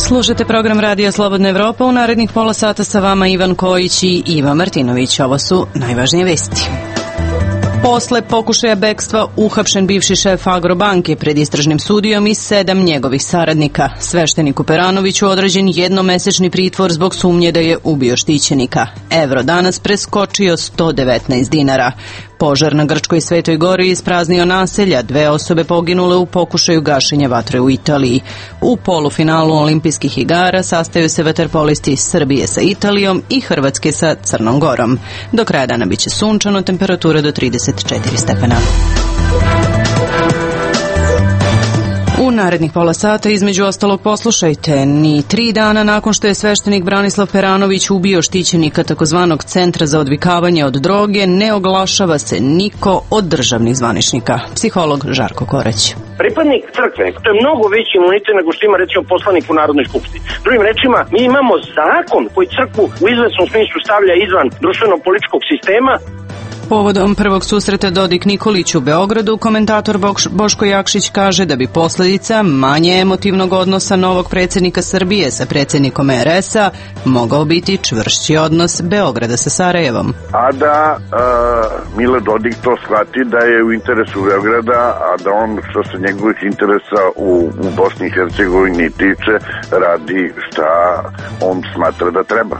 Slušajte program Radija Slobodna Evropa. U narednih pola sata sa vama Ivan Kojić i Iva Martinović. Ovo su najvažnije vesti. Posle pokušaja bekstva uhapšen bivši šef Agrobanke pred istražnim sudijom i 7 njegovih saradnika. Svešteniku Peranoviću određen jednomesečni pritvor zbog sumnje da je ubio štićenika. Evro danas preskočio 119 dinara. Požar na Grčkoj Svetoj Gori ispraznio naselja, 2 osobe poginule u pokušaju gašenja vatre u Italiji. U polufinalu olimpijskih igara sastaju se vaterpolisti Srbije sa Italijom i Hrvatske sa Crnom Gorom. Do kraja dana biće sunčano, temperatura do 34 stepena. U narednih pola sata, između ostalog, poslušajte, ni 3 dana nakon što je sveštenik Branislav Peranović ubio štićenika takozvanog Centra za odvikavanje od droge, ne oglašava se niko od državnih zvaničnika. Psiholog Žarko Korać. Pripadnik crkve, to je mnogo veći imunitet nego što ima recimo poslanik u Narodnoj skupštini. Drugim rečima, mi imamo zakon koji crkvu u izvesnom smislu stavlja izvan društveno-političkog sistema. Povodom prvog susreta Dodik Nikolić u Beogradu, komentator Boško Jakšić kaže da bi posljedica manje emotivnog odnosa novog predsjednika Srbije sa predsjednikom RS-a mogao biti čvršći odnos Beograda sa Sarajevom. A da Milo Dodik to shvati da je u interesu Beograda, a da on što se njegovih interesa u Bosni i Hercegovini tiče radi šta on smatra da treba.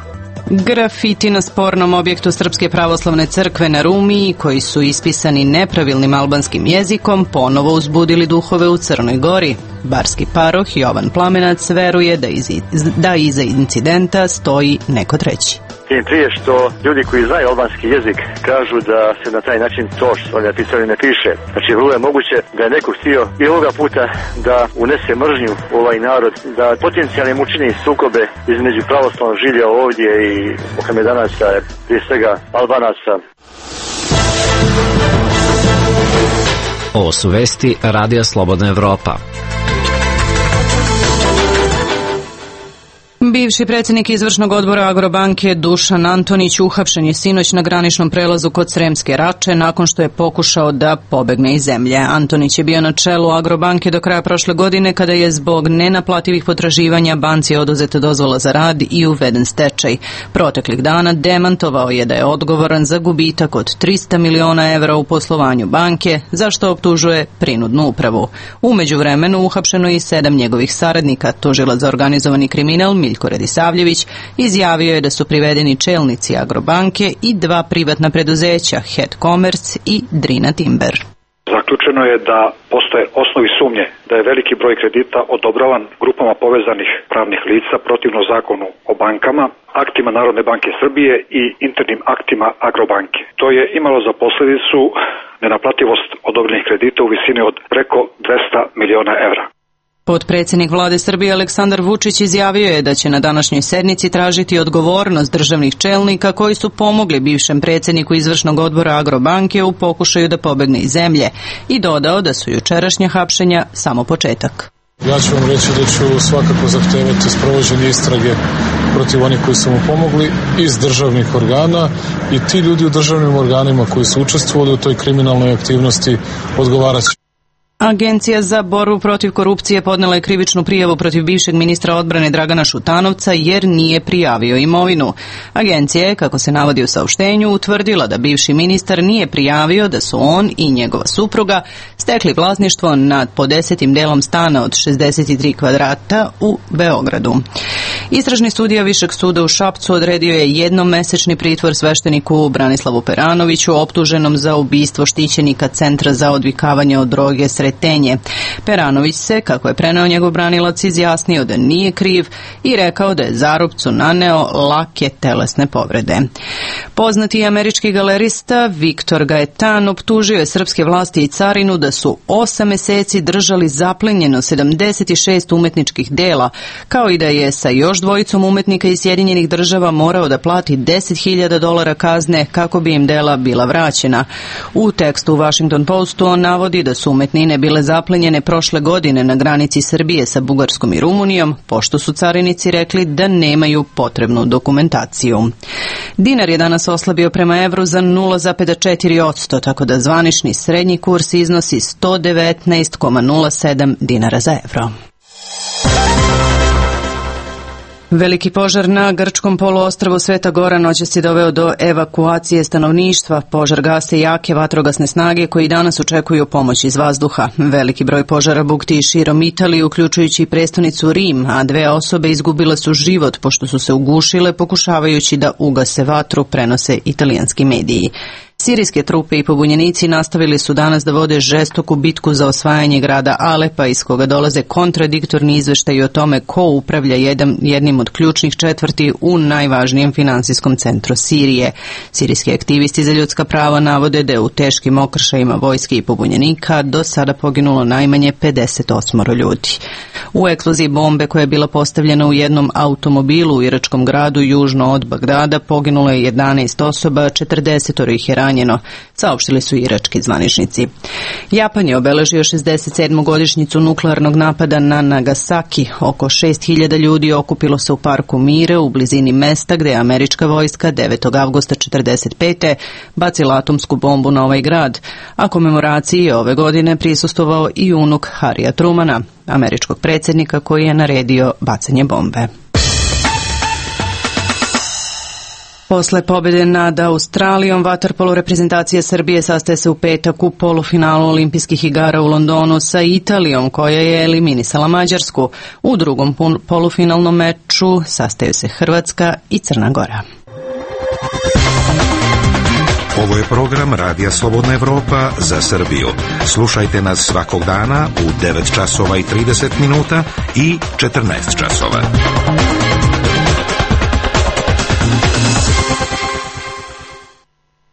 Grafiti na spornom objektu Srpske pravoslavne crkve na Rumiji, koji su ispisani nepravilnim albanskim jezikom, ponovo uzbudili duhove u Crnoj Gori. Barski paroh Jovan Plamenac veruje da iza incidenta stoji neko treći. Tim prije što ljudi koji znaju albanski jezik kažu da se na taj način to što oni napisali ne piše. Znači, vrlo je moguće da je neko htio i ovoga puta da unese mržnju u ovaj narod, da potencijalno učini sukobe između pravoslavnog žilja ovdje i Mohamedanaca, prije svega Albanaca. Ovo su vesti Radija Slobodna Evropa. Bivši predsjednik izvršnog odbora Agrobanke Dušan Antonić uhapšen je sinoć na graničnom prelazu kod Sremske Rače nakon što je pokušao da pobegne iz zemlje. Antonić je bio na čelu Agrobanke do kraja prošle godine kada je zbog nenaplativih potraživanja banci oduzeta dozvola za rad i uveden stečaj. Proteklih dana demantovao je da je odgovoran za gubitak od 300 miliona evra u poslovanju banke, za što optužuje prinudnu upravu. U međuvremenu uhapšeno je i 7 njegovih saradnika. Tužilac za organizovani kriminal Miljko Radisavljević izjavio je da su privedeni čelnici Agrobanke i 2 privatna preduzeća, Het Commerce i Drina Timber. Zaključeno je da postoje osnovi sumnje da je veliki broj kredita odobravan grupama povezanih pravnih lica protivno zakonu o bankama, aktima Narodne banke Srbije i internim aktima Agrobanke. To je imalo za posljedicu nenaplativost odobrenih kredita u visini od preko 200 miliona evra. Potpredsjednik vlade Srbije Aleksandar Vučić izjavio je da će na današnjoj sednici tražiti odgovornost državnih čelnika koji su pomogli bivšem predsjedniku izvršnog odbora Agrobanke u pokušaju da pobegne iz zemlje i dodao da su jučerašnja hapšenja samo početak. Ja ću vam reći da ću svakako zahtevati sprovođenje istrage protiv onih koji su mu pomogli iz državnih organa i ti ljudi u državnim organima koji su učestvovali u toj kriminalnoj aktivnosti odgovarat će. Agencija za borbu protiv korupcije podnela je krivičnu prijavu protiv bivšeg ministra odbrane Dragana Šutanovca jer nije prijavio imovinu. Agencija je, kako se navodi u saopštenju, utvrdila da bivši ministar nije prijavio da su on i njegova supruga stekli vlasništvo nad po 10. delom stana od 63 kvadrata u Beogradu. Istražni sudija Višeg suda u Šapcu odredio je jednomesečni pritvor svešteniku Branislavu Peranoviću optuženom za ubistvo štićenika Centra za odvikavanje od droge Sretenje. Peranović se, kako je preneo njegov branilac, izjasnio da nije kriv i rekao da je Zarupcu naneo lake telesne povrede. Poznati američki galerista Viktor Gaetan optužio je srpske vlasti i carinu da su 8 meseci držali zaplenjeno 76 umetničkih dela, kao i da je sa još 2 umetnika iz Sjedinjenih Država morao da plati $10.000 kazne kako bi im dela bila vraćena. U tekstu u Washington Postu on navodi da su umetnine bile zaplenjene prošle godine na granici Srbije sa Bugarskom i Rumunijom, pošto su carinici rekli da nemaju potrebnu dokumentaciju. Dinar je danas oslabio prema evru za 0,4%, tako da zvanični srednji kurs iznosi 119,07 dinara za evro. Veliki požar na grčkom poluostrvu Sveta Gora noćas je doveo do evakuacije stanovništva. Požar gase jake vatrogasne snage koji danas očekuju pomoć iz vazduha. Veliki broj požara bukti širom Italije, uključujući i prestonicu Rim, a 2 osobe izgubile su život pošto su se ugušile pokušavajući da ugase vatru, prenose italijanski mediji. Sirijske trupe i pobunjenici nastavili su danas da vode žestoku bitku za osvajanje grada Alepa, iz koga dolaze kontradiktorni izveštaji o tome ko upravlja jednim od ključnih četvrti u najvažnijem finansijskom centru Sirije. Sirijski aktivisti za ljudska prava navode da je u teškim okršajima vojske i pobunjenika do sada poginulo najmanje 58 ljudi. U eksploziji bombe koja je bila postavljena u jednom automobilu u iračkom gradu južno od Bagdada poginulo je 11 osoba, 40 ih je ranjeno, saopštili su irački zvaničnici. Japan je obeležio 67. godišnjicu nuklearnog napada na Nagasaki. Oko 6.000 ljudi okupilo se u parku Mire u blizini mesta gde je američka vojska 9. avgusta 1945. bacila atomsku bombu na ovaj grad, a komemoraciji je ove godine prisustvovao i unuk Harrya Trumana, američkog predsjednika koji je naredio bacanje bombe. Posle pobjede nad Australijom, vaterpolo reprezentacija Srbije sastaje se u petak u polufinalu olimpijskih igara u Londonu sa Italijom, koja je eliminisala Mađarsku. U drugom polufinalnom meču sastaju se Hrvatska i Crna Gora. Ovo je program Radija Slobodna Evropa za Srbiju. Slušajte nas svakog dana u 9 časova i 30 minuta i 14 časova.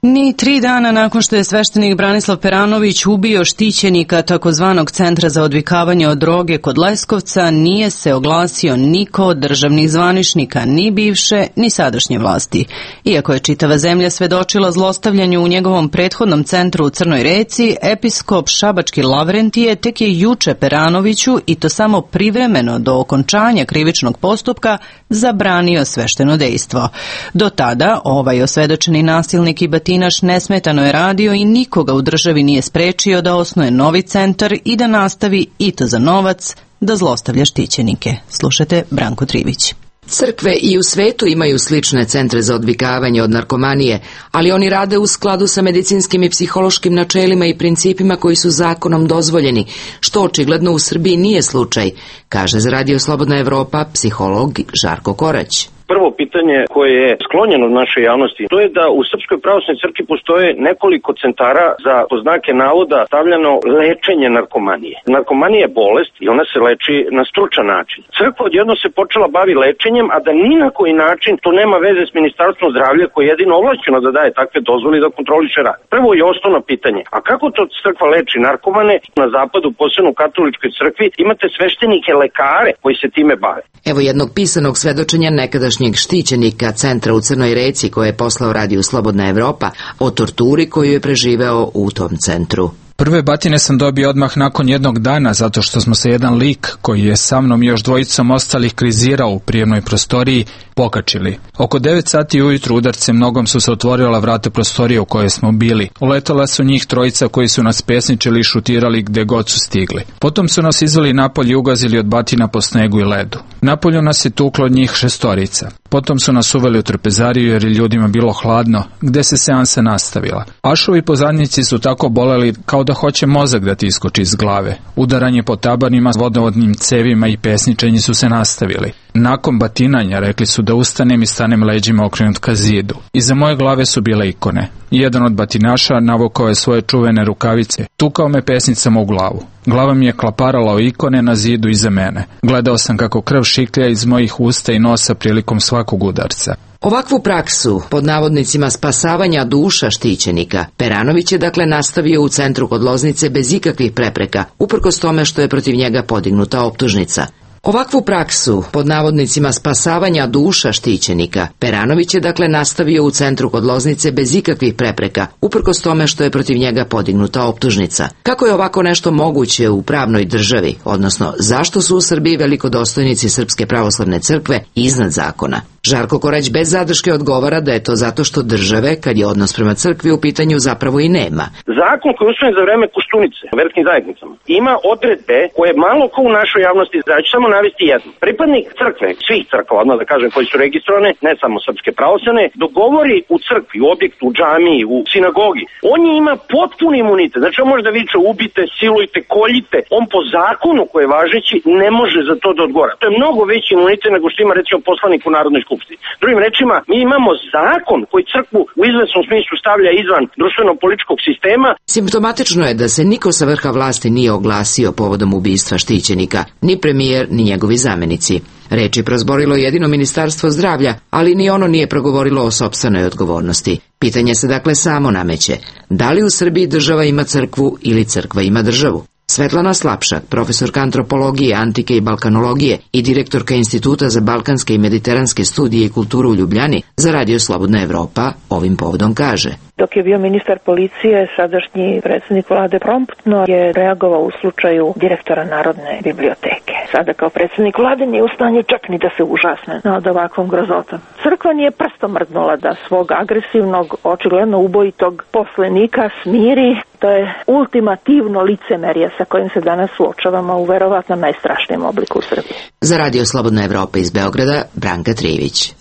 Ni 3 dana nakon što je sveštenik Branislav Peranović ubio štićenika takozvanog Centra za odvikavanje od droge kod Leskovca, nije se oglasio niko od državnih zvaničnika, ni bivše, ni sadašnje vlasti. Iako je čitava zemlja svedočila zlostavljanju u njegovom prethodnom centru u Crnoj Reci, episkop šabački Lavrentije tek je juče Peranoviću, i to samo privremeno do okončanja krivičnog postupka, zabranio svešteno dejstvo. Do tada ovaj osvedočeni nasilnik i batinaš nesmetano je radio i nikoga u državi nije sprečio da osnuje novi centar i da nastavi, i to za novac, da zlostavlja štićenike. Slušajte Branko Trivić. Crkve i u svetu imaju slične centre za odvikavanje od narkomanije, ali oni rade u skladu sa medicinskim i psihološkim načelima i principima koji su zakonom dozvoljeni, što očigledno u Srbiji nije slučaj, kaže za Radio Slobodna Evropa psiholog Žarko Korać. Prvo pitanje koje je sklonjeno od naše javnosti, to je da u Srpskoj pravoslavnoj crkvi postoje nekoliko centara za, po znake navoda, stavljeno lečenje narkomanije. Narkomanija je bolest i ona se leči na stručan način. Crkva odjedno se počela bavi lečenjem, a da ni na koji način to nema veze s Ministarstvom zdravlja koje je jedino ovlašćeno da daje takve dozvole i da kontroliše rad. Prvo je osnovno pitanje, a kako to crkva leči narkomane? Na zapadu, posebno u katoličkoj crkvi, imate sveštenike lekare koji se time bave. Evo jednog pisanog svedočenja nekadašnjeg štićenika centra u Crnoj Reci koje je poslao Radiju Slobodna Evropa o torturi koju je preživeo u tom centru. Prve batine sam dobio odmah nakon jednog dana zato što smo se jedan lik koji je sa mnom i još dvojicom ostalih krizirao u prijemnoj prostoriji pokačili. Oko 9 sati ujutru udarcem nogom su se otvorila vrata prostorije u kojoj smo bili. Uletala su njih trojica koji su nas pesničili i šutirali gde god su stigli. Potom su nas izveli napolje i ugazili od batina po snegu i ledu. Napolju nas je tuklo njih 6. Potom su nas uveli u trpezariju jer je ljudima bilo hladno, gde se seansa nastavila. Ašovi pozadnici su tako boleli kao da hoće mozak da ti iskoči iz glave. Udaranje po tabanima, vodovodnim cevima i pesničenji su se nastavili. Nakon batinanja rekli su da ustanem i stanem leđima okrenut ka zidu. Iza moje glave su bile ikone. Jedan od batinaša navukao je svoje čuvene rukavice. Tukao me pesnicama u glavu. Glava mi je klaparala o ikone na zidu iza mene. Gledao sam kako krv šiklja iz mojih usta i nosa prilikom svakog udarca. Ovakvu praksu, pod navodnicima spasavanja duša štićenika, Peranović je dakle nastavio u centru kod Loznice bez ikakvih prepreka, uprkos tome što je protiv njega podignuta optužnica. Ovakvu praksu, pod navodnicima spasavanja duša štićenika, Peranović je dakle nastavio u centru kod Loznice bez ikakvih prepreka, uprkos tome što je protiv njega podignuta optužnica. Kako je ovako nešto moguće u pravnoj državi, odnosno zašto su u Srbiji velikodostojnici Srpske pravoslavne crkve iznad zakona? Žarko Korać bez zadrške odgovara da je to zato što države, kad je odnos prema crkvi u pitanju, zapravo i nema. Zakon koji je usvojen za vreme Koštunice u verskim zajednicama ima odredbe koje malo ko u našoj javnosti, ja ću samo navesti jedno. Pripadnik crkve, svih crkava, odmah da kažem, koji su registrovane, ne samo srpske pravoslavne, dogovori u crkvi, u objektu, u džamiji, u sinagogi. On je ima potpuni imunitet. Znači on može da viče ubite, silujte, koljite. On po zakonu koji je važeći ne može za to da odgovara. To je mnogo veći imunitet nego što ima recimo poslanik u Narodnoj skupštini. Drugim rečima, mi imamo zakon koji crkvu u izvesnom smislu stavlja izvan društveno-političkog sistema. Simptomatično je da se niko sa vrha vlasti nije oglasio povodom ubistva štićenika, ni premijer, ni njegovi zamenici. Reči prozborilo jedino Ministarstvo zdravlja, ali ni ono nije progovorilo o sopstvenoj odgovornosti. Pitanje se dakle samo nameće. Da li u Srbiji država ima crkvu ili crkva ima državu? Svetlana Slapšak, profesorka antropologije, antike i balkanologije i direktorka Instituta za balkanske i mediteranske studije i kulturu u Ljubljani, za Radio Slobodna Evropa ovim povodom kaže: Dok je bio ministar policije, sadašnji predsjednik vlade promptno je reagovao u slučaju direktora Narodne biblioteke. Sada kao predsjednik vlade nije u stanju čak ni da se užasne nad ovakvom grozotom. Crkva nije prstom mrdnula da svog agresivnog, očigledno ubojitog poslenika smiri. To je ultimativno licemerje sa kojim se danas suočavamo u verovatno najstrašnijem obliku u Srbiji. Za Radio Slobodna Evropa iz Beograda, Branka Trivić.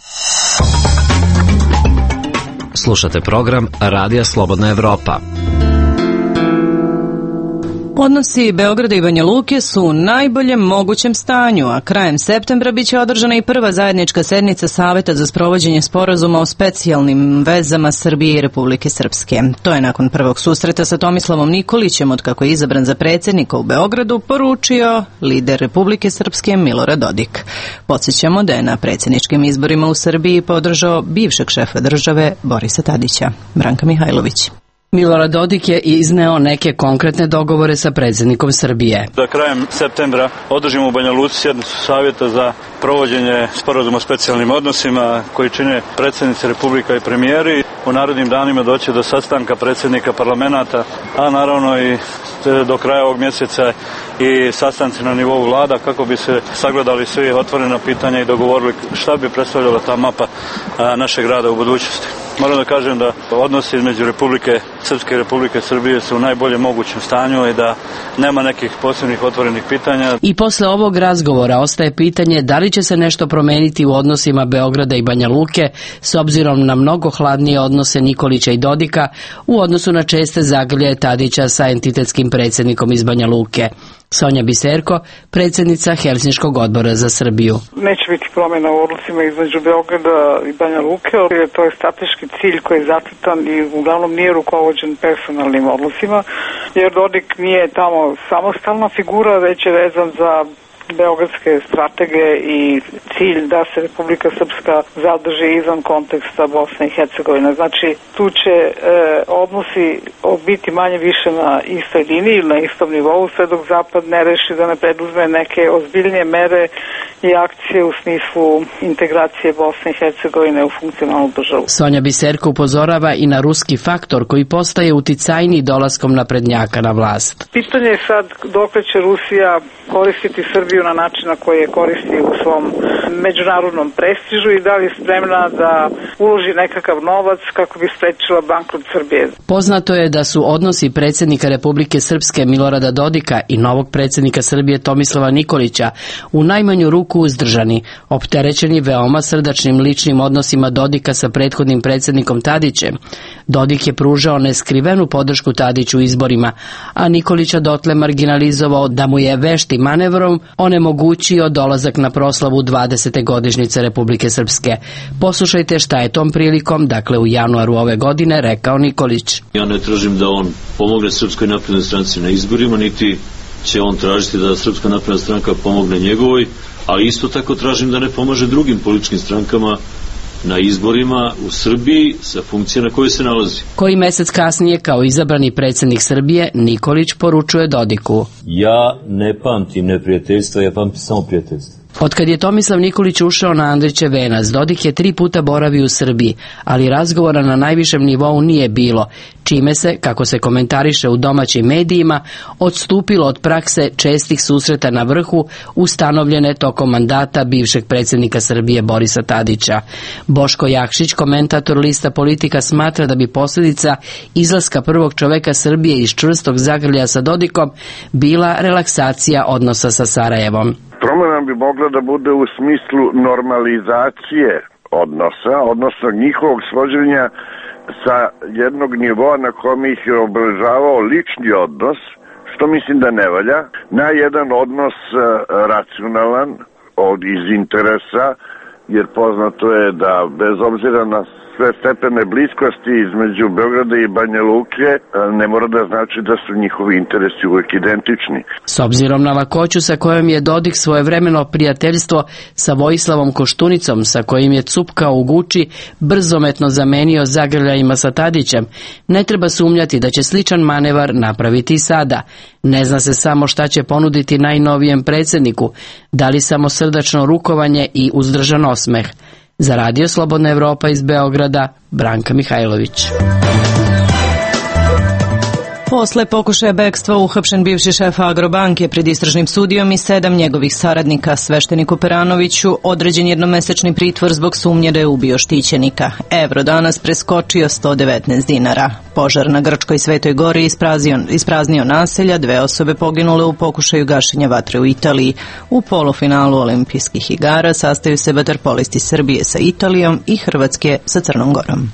Slušate program Radija Slobodna Evropa. Odnosi Beograda i Banja Luke su u najboljem mogućem stanju, a krajem septembra biće održana i prva zajednička sednica Saveta za sprovođenje sporazuma o specijalnim vezama Srbije i Republike Srpske. To je nakon prvog susreta sa Tomislavom Nikolićem, od kako je izabran za predsjednika u Beogradu, poručio lider Republike Srpske Milorad Dodik. Podsjećamo da je na predsjedničkim izborima u Srbiji podržao bivšeg šefa države Borisa Tadića. Branka Mihajlović. Milorad Dodik je izneo neke konkretne dogovore sa predsjednikom Srbije. Da krajem septembra održimo u Banja Luci sjednicu Savjeta za provođenje sporazuma o specijalnim odnosima koji čine predsjednici Republika i premijeri. U narednim danima doći do sastanka predsjednika parlamenta, a naravno i do kraja ovog mjeseca i sastanci na nivou vlada kako bi se sagledali svi otvorena pitanja i dogovorili šta bi predstavljala ta mapa našeg rada u budućnosti. Moram da kažem da odnosi između Republike Srpske i Republike Srbije su u najboljem mogućem stanju i da nema nekih posebnih otvorenih pitanja. I posle ovog razgovora ostaje pitanje da li će se nešto promeniti u odnosima Beograda i Banja Luke s obzirom na mnogo hladnije odnose Nikolića i Dodika u odnosu na česte zagrlje Tadića sa entitetskim predsjednikom iz Banja Luke. Sonja Biserko, predsjednica Helsinškog odbora za Srbiju. Neće biti promjena u odnosima između Beograda i Banja Luke, jer to je strateški cilj koji je zacrtan i uglavnom nije rukovođen personalnim odnosima, jer Dodik nije tamo samostalna figura, već je vezan za beogradske stratege i cilj da se Republika Srpska zadrži izvan konteksta Bosne i Hercegovine. Znači, tu će odnosi biti manje više na istoj liniji ili na istom nivou, sve dok Zapad ne reši da ne preduzme neke ozbiljnije mere i akcije u smislu integracije Bosne i Hercegovine u funkcionalnu državu. Sonja Biserko upozorava i na ruski faktor koji postaje uticajniji dolaskom naprednjaka na vlast. Pitanje je sad dokle će Rusija koristiti Srbiju na način na koji je koristi u svom međunarodnom prestižu i da li je spremna da uloži nekakav novac kako bi sprečila bankrot Srbije. Poznato je da su odnosi predsjednika Republike Srpske Milorada Dodika i novog predsjednika Srbije Tomislava Nikolića u najmanju ruku uzdržani, opterećeni veoma srdačnim ličnim odnosima Dodika sa prethodnim predsjednikom Tadićem. Dodik je pružao neskrivenu podršku Tadiću u izborima, a Nikolića dotle marginalizovao da mu je veštim manevrom onemogućio dolazak na proslavu 20. godišnjice Republike Srpske. Poslušajte šta je tom prilikom, dakle u januaru ove godine, rekao Nikolić. Ja ne tražim da on pomogne Srpskoj naprednoj stranci na izborima, niti će on tražiti da Srpska napredna stranka pomogne njegovoj, ali isto tako tražim da ne pomaže drugim političkim strankama na izborima u Srbiji sa funkcije na kojoj se nalazi. Koji mesec kasnije, kao izabrani predsjednik Srbije, Nikolić poručuje Dodiku: Ja ne pamtim neprijateljstva, ja pamtim samo prijateljstvo. Otkad je Tomislav Nikolić ušao na Andrićev venac, Dodik je 3 puta boravio u Srbiji, ali razgovora na najvišem nivou nije bilo, čime se, kako se komentariše u domaćim medijima, odstupilo od prakse čestih susreta na vrhu ustanovljene tokom mandata bivšeg predsjednika Srbije Borisa Tadića. Boško Jakšić, komentator lista Politika, smatra da bi posljedica izlaska prvog čoveka Srbije iz čvrstog zagrljaja sa Dodikom bila relaksacija odnosa sa Sarajevom. Promjena bi mogla da bude u smislu normalizacije odnosa, odnosno njihovog svođenja sa jednog nivoa na kom ih je obeležavao lični odnos, što mislim da ne valja, na jedan odnos racionalan iz interesa, jer poznato je da bez obzira na sve stepene bliskosti između Beograda i Banja Luke ne mora da znači da su njihovi interesi uvek identični. S obzirom na lakoću sa kojom je Dodik svojevremeno prijateljstvo sa Vojislavom Koštunicom, sa kojim je cupkao u Guči, brzometno zamenio zagrljajima sa Tadićem, ne treba sumnjati da će sličan manevar napraviti i sada. Ne zna se samo šta će ponuditi najnovijem predsjedniku, da li samo srdačno rukovanje i uzdržan osmeh. Za Radio Slobodna Evropa iz Beograda, Branka Mihajlović. Posle pokušaja bekstva uhapšen bivši šef Agrobanke pred istražnim sudijom i 7 njegovih saradnika. Svešteniku Peranoviću određen jednomesečni pritvor zbog sumnje da je ubio štićenika. Evro danas preskočio 119 dinara. Požar na Grčkoj Svetoj Gori ispraznio naselja, 2 osobe poginule u pokušaju gašenja vatre u Italiji. U polufinalu olimpijskih igara sastaju se vaterpolisti Srbije sa Italijom i Hrvatske sa Crnom Gorom.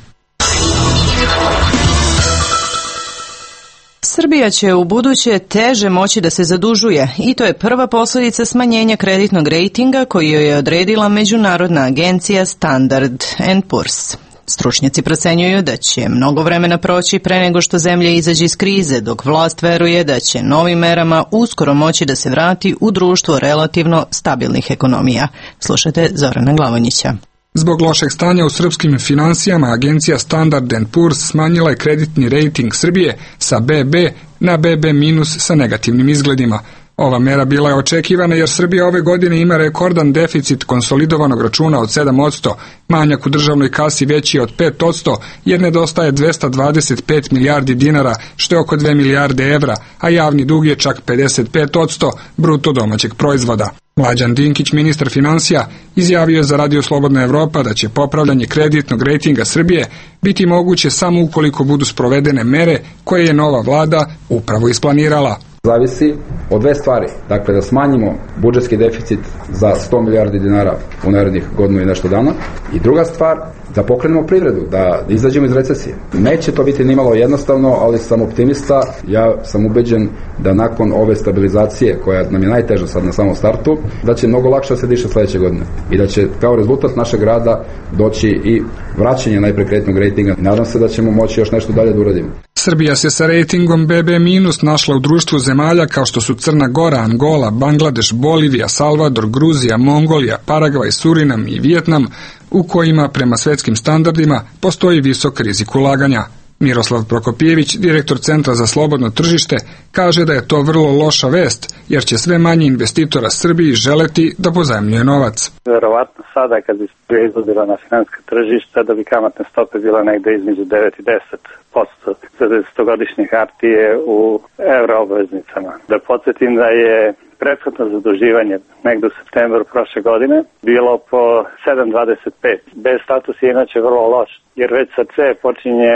Srbija će u buduće teže moći da se zadužuje i to je prva posljedica smanjenja kreditnog rejtinga koji joj je odredila međunarodna agencija Standard & Poor's. Stručnjaci procenjuju da će mnogo vremena proći pre nego što zemlja izađe iz krize, dok vlast veruje da će novim merama uskoro moći da se vrati u društvo relativno stabilnih ekonomija. Slušajte Zorana Glavonjića. Zbog lošeg stanja u srpskim finansijama, agencija Standard & Poor's smanjila je kreditni rejting Srbije sa BB na BB- sa negativnim izgledima. Ova mera bila je očekivana jer Srbija ove godine ima rekordan deficit konsolidovanog računa od 7%, manjak u državnoj kasi veći je od 5% jer nedostaje 225 milijardi dinara, što je oko 2 milijarde evra, a javni dug je čak 55% bruto domaćeg proizvoda. Mlađan Dinkić, ministar finansija, izjavio je za Radio Slobodna Evropa da će popravljanje kreditnog rejtinga Srbije biti moguće samo ukoliko budu sprovedene mere koje je nova vlada upravo isplanirala. Zavisi od 2 stvari. Dakle, da smanjimo budžetski deficit za 100 milijardi dinara u narednih godinu i nešto dana. I druga stvar, da pokrenemo privredu, da izađemo iz recesije. Neće to biti nimalo jednostavno, ali sam optimista. Ja sam ubeđen da nakon ove stabilizacije, koja nam je najteža sad na samom startu, da će mnogo lakše se diše sledeće godine. I da će kao rezultat našeg rada doći i vraćanje najpre kreditnog rejtinga. Nadam se da ćemo moći još nešto dalje da uradimo. Srbija se sa rejtingom BB- našla u društvu zemalja kao što su Crna Gora, Angola, Bangladeš, Bolivija, Salvador, Gruzija, Mongolija, Paragvaj, Surinam i Vijetnam, u kojima prema svetskim standardima postoji visok rizik ulaganja. Miroslav Prokopjević, direktor Centra za slobodno tržište, kaže da je to vrlo loša vest, jer će sve manje investitora Srbiji želeti da pozajmljuje novac. Verovatno sada kad bi izlazila na finanska tržišta da bi kamatne stope bila negde između 9 i 10% za 10-godišnje hartije u euroobveznicama. Da podsjetim da je prethodno zaduživanje negde u septembru prošle godine bilo po 7,25. Bez status je inače vrlo loš, jer već sa C počinje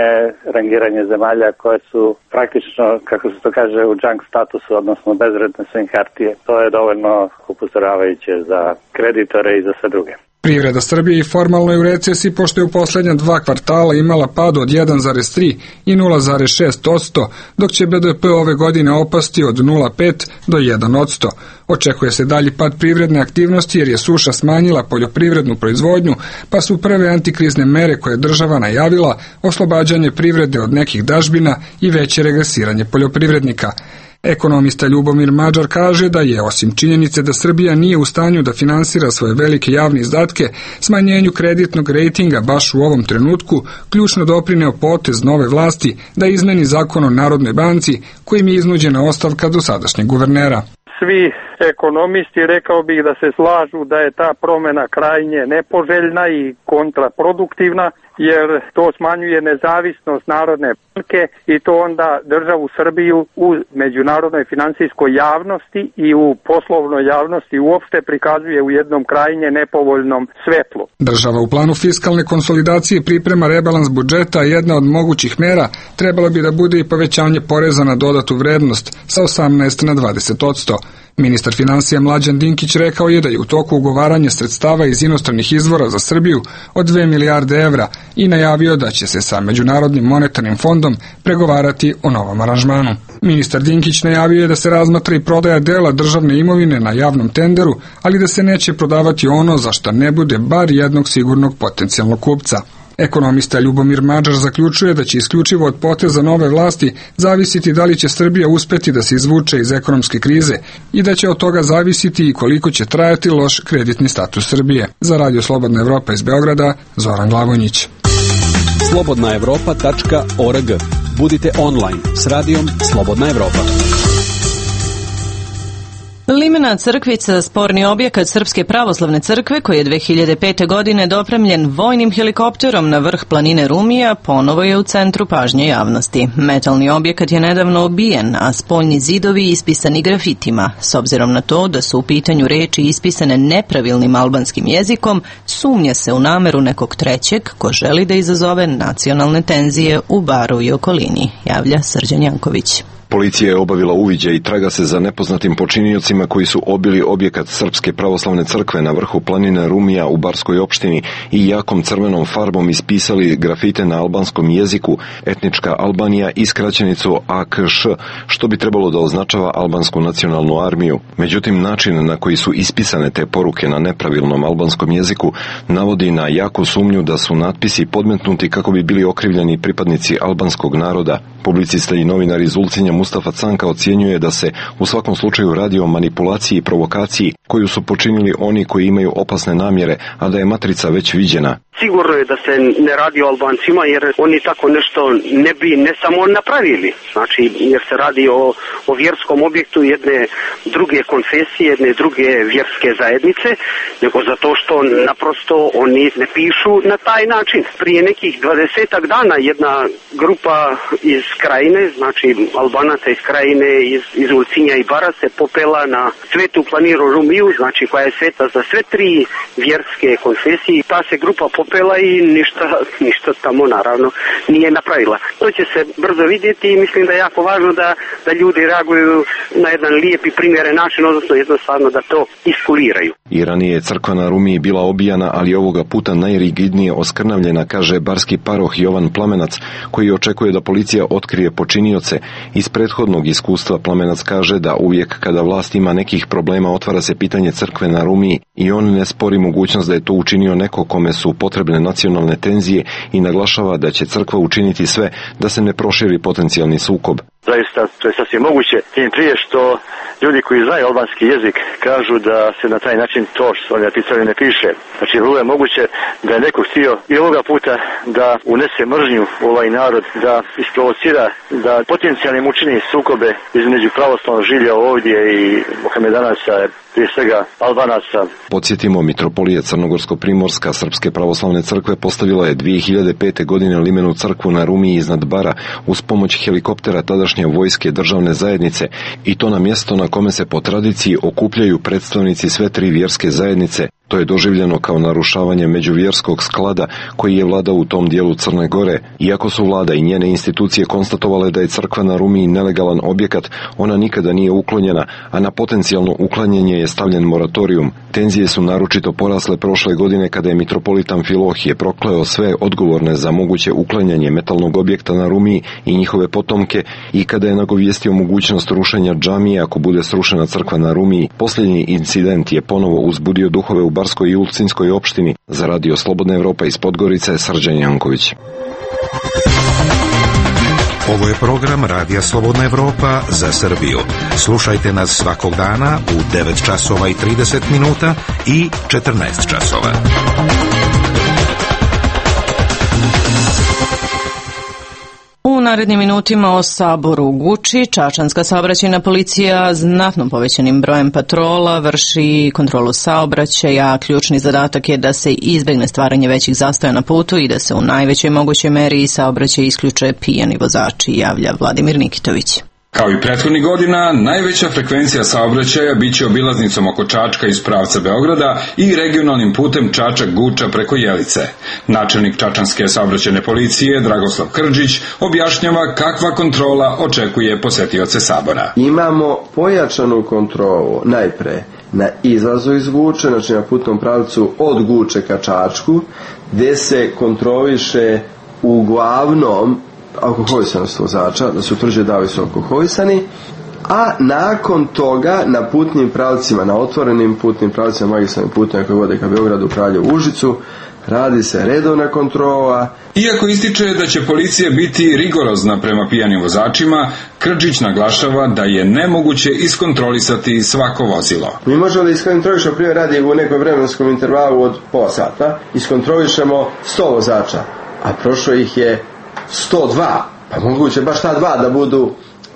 rangiranje zemalja koje su praktično, kako se to kaže, u junk statusu, odnosno bezvredne su im hartije. To je dovoljno upozoravajuće za kreditore i za sve druge. Privreda Srbije i formalno je u recesiji pošto je u posljednja 2 kvartala imala pad od 1,3 i 0,6%, dok će BDP ove godine opasti od 0,5 do 1%. Očekuje se dalji pad privredne aktivnosti jer je suša smanjila poljoprivrednu proizvodnju, pa su prve antikrizne mere koje je država najavila oslobađanje privrede od nekih dažbina i veće regresiranje poljoprivrednika. Ekonomista Ljubomir Mađar kaže da je, osim činjenice da Srbija nije u stanju da finansira svoje velike javne izdatke, smanjenju kreditnog rejtinga baš u ovom trenutku ključno doprineo potez nove vlasti da izmeni zakon o Narodnoj banci kojim je iznuđena ostavka dosadašnjeg guvernera. Svi ekonomisti, rekao bih da se slažu da je ta promjena krajnje nepoželjna i kontraproduktivna, jer to smanjuje nezavisnost Narodne banke i to onda državu Srbiju u međunarodnoj finansijskoj javnosti i u poslovnoj javnosti uopšte prikazuje u jednom krajnje nepovoljnom svetlu. Država u planu fiskalne konsolidacije priprema rebalans budžeta, a jedna od mogućih mera trebalo bi da bude i povećanje poreza na dodatu vrednost sa 18 na 20%. Ministar finansija Mlađan Dinkić rekao je da je u toku ugovaranja sredstava iz inostranih izvora za Srbiju od 2 milijarde evra i najavio da će se sa Međunarodnim monetarnim fondom pregovarati o novom aranžmanu. Ministar Dinkić najavio je da se razmatra i prodaja dela državne imovine na javnom tenderu, ali da se neće prodavati ono za šta ne bude bar jednog sigurnog potencijalnog kupca. Ekonomista Ljubomir Mađar zaključuje da će isključivo od poteza nove vlasti zavisiti da li će Srbija uspeti da se izvuče iz ekonomske krize i da će od toga zavisiti i koliko će trajati loš kreditni status Srbije. Za Radio Slobodna Evropa iz Beograda, Zoran Glavonjić. slobodnaevropa.org. Budite online s radijom Slobodna Evropa. Limena Crkvica, sporni objekat Srpske pravoslavne crkve koji je 2005. godine dopremljen vojnim helikopterom na vrh planine Rumija, ponovo je u centru pažnje javnosti. Metalni objekat je nedavno obijen, a spoljni zidovi ispisani grafitima. S obzirom na to da su u pitanju reči ispisane nepravilnim albanskim jezikom, sumnja se u nameru nekog trećeg ko želi da izazove nacionalne tenzije u Baru i okolini, javlja Srđan Janković. Policija je obavila uviđaj i traga se za nepoznatim počiniocima koji su obili objekat Srpske pravoslavne crkve na vrhu planine Rumija u Barskoj opštini i jakom crvenom farbom ispisali grafite na albanskom jeziku etnička Albanija i skraćenicu AKŠ, što bi trebalo da označava albansku nacionalnu armiju. Međutim, način na koji su ispisane te poruke na nepravilnom albanskom jeziku navodi na jaku sumnju da su natpisi podmetnuti kako bi bili okrivljeni pripadnici albanskog naroda. Publicista i novinar iz Ulcinja Mustafa Canka ocjenjuje da se u svakom slučaju radi o manipulaciji i provokaciji koju su počinili oni koji imaju opasne namjere, a da je matrica već viđena. Sigurno je da se ne radi o Albancima, jer oni tako nešto ne bi ne samo napravili. Znači, jer se radi o vjerskom objektu jedne druge konfesije, jedne druge vjerske zajednice, nego zato što naprosto oni ne pišu na taj način. Prije nekih 20 dana jedna grupa iz krajine, znači Albanaca iz krajine, iz Ulcinja i Bara se popela na svetu planiru Rumiju, znači koja je sveta za sve tri vjerske konfesije. Ta se grupa popela i ništa tamo naravno nije napravila. To će se brzo vidjeti i mislim da je jako važno da ljudi reaguju na jedan lijep i primjeren način, odnosno jednostavno da to iskuliraju. I ranije je crkva na Rumiji bila obijana, ali ovoga puta najrigidnije oskrnavljena, kaže barski paroh Jovan Plamenac, koji očekuje da policija otkrije počinioce. Iz prethodnog iskustva Plamenac kaže da uvijek kada vlast ima nekih problema otvara se pitanje crkve na Rumiji i on ne spori mogućnost da je to učinio neko kome su potrebne nacionalne tenzije i naglašava da će crkva učiniti sve da se ne proširi potencijalni sukob. Zaista, to je sasvim moguće, tim prije što ljudi koji znaju albanski jezik kažu da se na taj način to što oni napisali ne piše. Znači, vrlo je moguće da je neko htio i ovoga puta da unese mržnju u ovaj narod, da isprovocira, da potencijalnim učini sukobe između pravoslavnog žilja ovdje i Mohamedanaca, prije svega Albanaca. Podsjetimo, mitropolija Crnogorsko-Primorska Srpske pravoslavne crkve postavila je 2005. godine limenu crkvu na Rumiji iznad Bara uz pomoć helikoptera tadašnje vojske državne zajednice i to na mjesto na kome se po tradiciji okupljaju predstavnici sve tri vjerske zajednice. To je doživljeno kao narušavanje međuvjerskog sklada koji je vladao u tom dijelu Crne Gore. Iako su vlada i njene institucije konstatovale da je crkva na Rumiji nelegalan objekat, ona nikada nije uklonjena, a na potencijalno uklanjanje je stavljen moratorijum. Tenzije su naročito porasle prošle godine kada je mitropolit Amfilohije prokleo sve odgovorne za moguće uklanjanje metalnog objekta na Rumiji i njihove potomke i kada je nagovijestio mogućnost rušenja džamije ako bude srušena crkva na Rumiji. Posljednji incident je ponovo uzbudio duhove u Barskoj i Ulcinskoj opštini. Za Radio Slobodna Evropa iz Podgorice, Srđan Janković. Ovo je program Radija Slobodna Evropa za Srbiju. Slušajte nas svakog dana u 9 časova i 30 minuta i 14 časova. U narednim minutima o Saboru u Guči. Čačanska saobraćajna policija znatno povećanim brojem patrola vrši kontrolu saobraćaja. Ključni zadatak je da se izbegne stvaranje većih zastoja na putu i da se u najvećoj mogućoj meri saobraćaj isključe pijani vozači, javlja Vladimir Nikitović. Kao i prethodnih godina, najveća frekvencija saobraćaja biće obilaznicom oko Čačka iz pravca Beograda i regionalnim putem Čačak-Guča preko Jelice. Načelnik Čačanske saobraćajne policije Dragoslav Krđić objašnjava kakva kontrola očekuje posetioce Sabora. Imamo pojačanu kontrolu najpre na izlazu iz Guče, znači na putnom pravcu od Guče ka Čačku, gde se kontroliše uglavnom alkoholisanost vozača, da se utvrđuje da li su alkoholisani, a nakon toga na putnim pravcima, na otvorenim putnim pravcima, magistralnim putima koji vode ka Beogradu, Kraljevu, Užicu, radi se redovna kontrola. Iako ističe da će policija biti rigorozna prema pijanim vozačima, Krđić naglašava da je nemoguće iskontrolisati svako vozilo. Mi možemo da iskontrolišemo, primjer radi u nekom vremenskom intervalu od pola sata, iskontrolišemo 100 vozača, a prošlo ih je 102, pa moguće baš ta dva da budu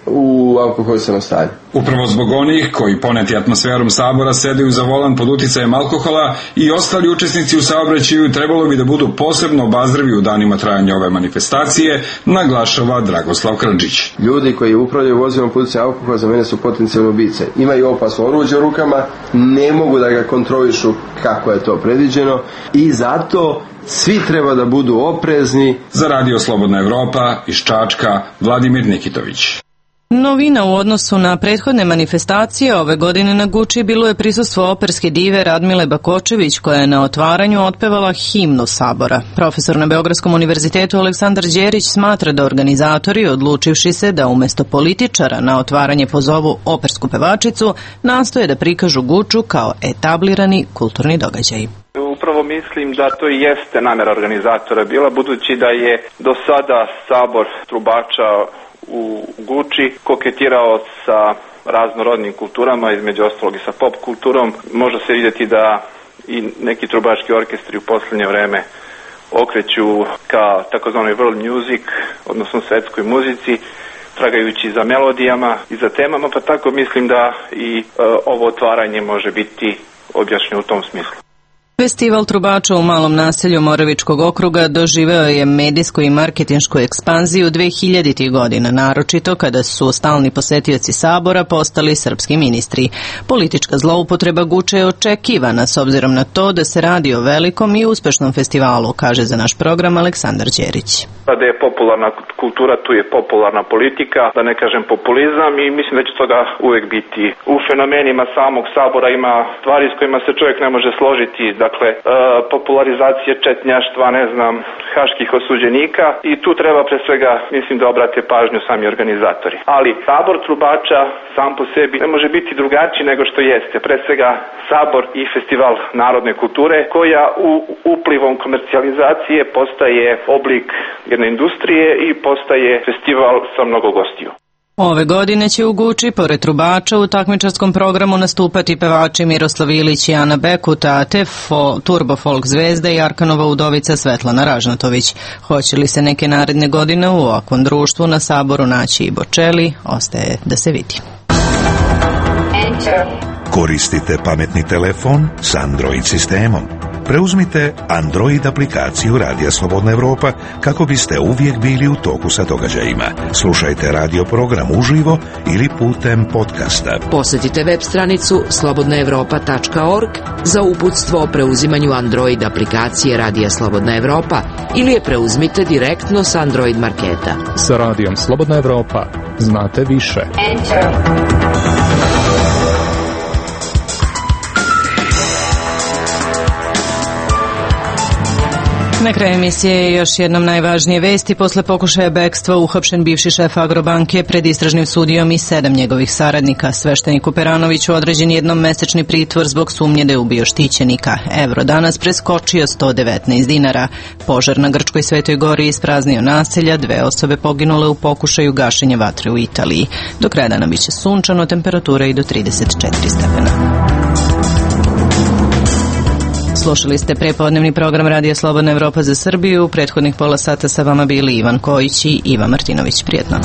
u alkoholisanom stanju. Upravo zbog onih koji poneti atmosferom Sabora sedaju za volan pod uticajem alkohola i ostali učesnici u saobraćaju trebalo bi da budu posebno obazrivi u danima trajanja ove manifestacije, naglašava Dragoslav Krđić. Ljudi koji upravljaju vozilom pod uticajem alkohola za mene su potencijalne ubice. Imaju opasno oruđe u rukama, ne mogu da ga kontrolišu kako je to predviđeno i zato svi treba da budu oprezni. Za Radio Slobodna Evropa iz Čačka, Vladimir Nikitović. Novina u odnosu na prethodne manifestacije ove godine na Guči bilo je prisustvo operske dive Radmile Bakočević koja je na otvaranju otpevala himnu Sabora. Profesor na Beogradskom univerzitetu Aleksandar Đerić smatra da organizatori, odlučivši se da umesto političara na otvaranje pozovu opersku pevačicu, nastoje da prikažu Guču kao etablirani kulturni događaj. Upravo mislim da to i jeste namera organizatora bila, budući da je do sada Sabor trubača u Guči koketirao sa raznorodnim kulturama, između ostalog i sa pop kulturom. Može se vidjeti da i neki trubački orkestri u posljednje vreme okreću ka takozvanoj world music, odnosno svetskoj muzici, tragajući za melodijama i za temama, pa tako mislim da i ovo otvaranje može biti objašnjeno u tom smislu. Festival trubača u malom naselju Moravičkog okruga doživeo je medijsku i marketinšku ekspanziju 2000. godina, naročito kada su stalni posetioci Sabora postali srpski ministri. Politička zloupotreba Guče je očekivana s obzirom na to da se radi o velikom i uspešnom festivalu, kaže za naš program Aleksandar Đerić. Da je popularna kultura, tu je popularna politika, da ne kažem populizam, i mislim da će toga uvek biti. U fenomenima samog Sabora ima stvari s kojima se čovjek ne može složiti, dakle popularizacije četnjaštva, ne znam, haških osuđenika, i tu treba pre svega, mislim, da obrate pažnju sami organizatori. Ali Sabor trubača sam po sebi ne može biti drugačiji nego što jeste. Pre svega Sabor i festival narodne kulture koja u uplivom komercijalizacije postaje oblik jedne industrije i postaje festival sa mnogo gostiju. Ove godine će u Guči, pored trubača, u takmičarskom programu nastupati pevači Miroslav Ilić i Ana Bekuta, te turbo folk zvezda i Arkanova udovica Svetlana Ražnatović. Hoće li se neke naredne godine u ovakvom društvu na Saboru naći i Bočeli, ostaje da se vidi. Koristite pametni telefon s Android sistemom. Preuzmite Android aplikaciju Radija Slobodna Evropa kako biste uvijek bili u toku sa događajima. Slušajte radio program uživo ili putem podcasta. Posjetite web stranicu slobodnaevropa.org za uputstvo o preuzimanju Android aplikacije Radija Slobodna Evropa ili je preuzmite direktno s Android marketa. Sa Radijom Slobodna Evropa znate više. Na kraju emisije još jednom najvažnije vesti. Posle pokušaja bekstva uhapšen bivši šef Agrobanke pred istražnim sudijom i 7 njegovih saradnika. Svešteniku Peranoviću određen jednomesečni pritvor zbog sumnje da je ubio štićenika. Evro danas preskočio 119 dinara. Požar na Grčkoj Svetoj Gori ispraznio naselja, 2 osobe poginule u pokušaju gašenja vatre u Italiji. Do kraja dana biće sunčano, temperatura i do 34 stepena. Slušali ste prepodnevni program Radija Slobodna Evropa za Srbiju. U prethodnih pola sata sa vama bili Ivan Kojić i Iva Martinović. Prijetno.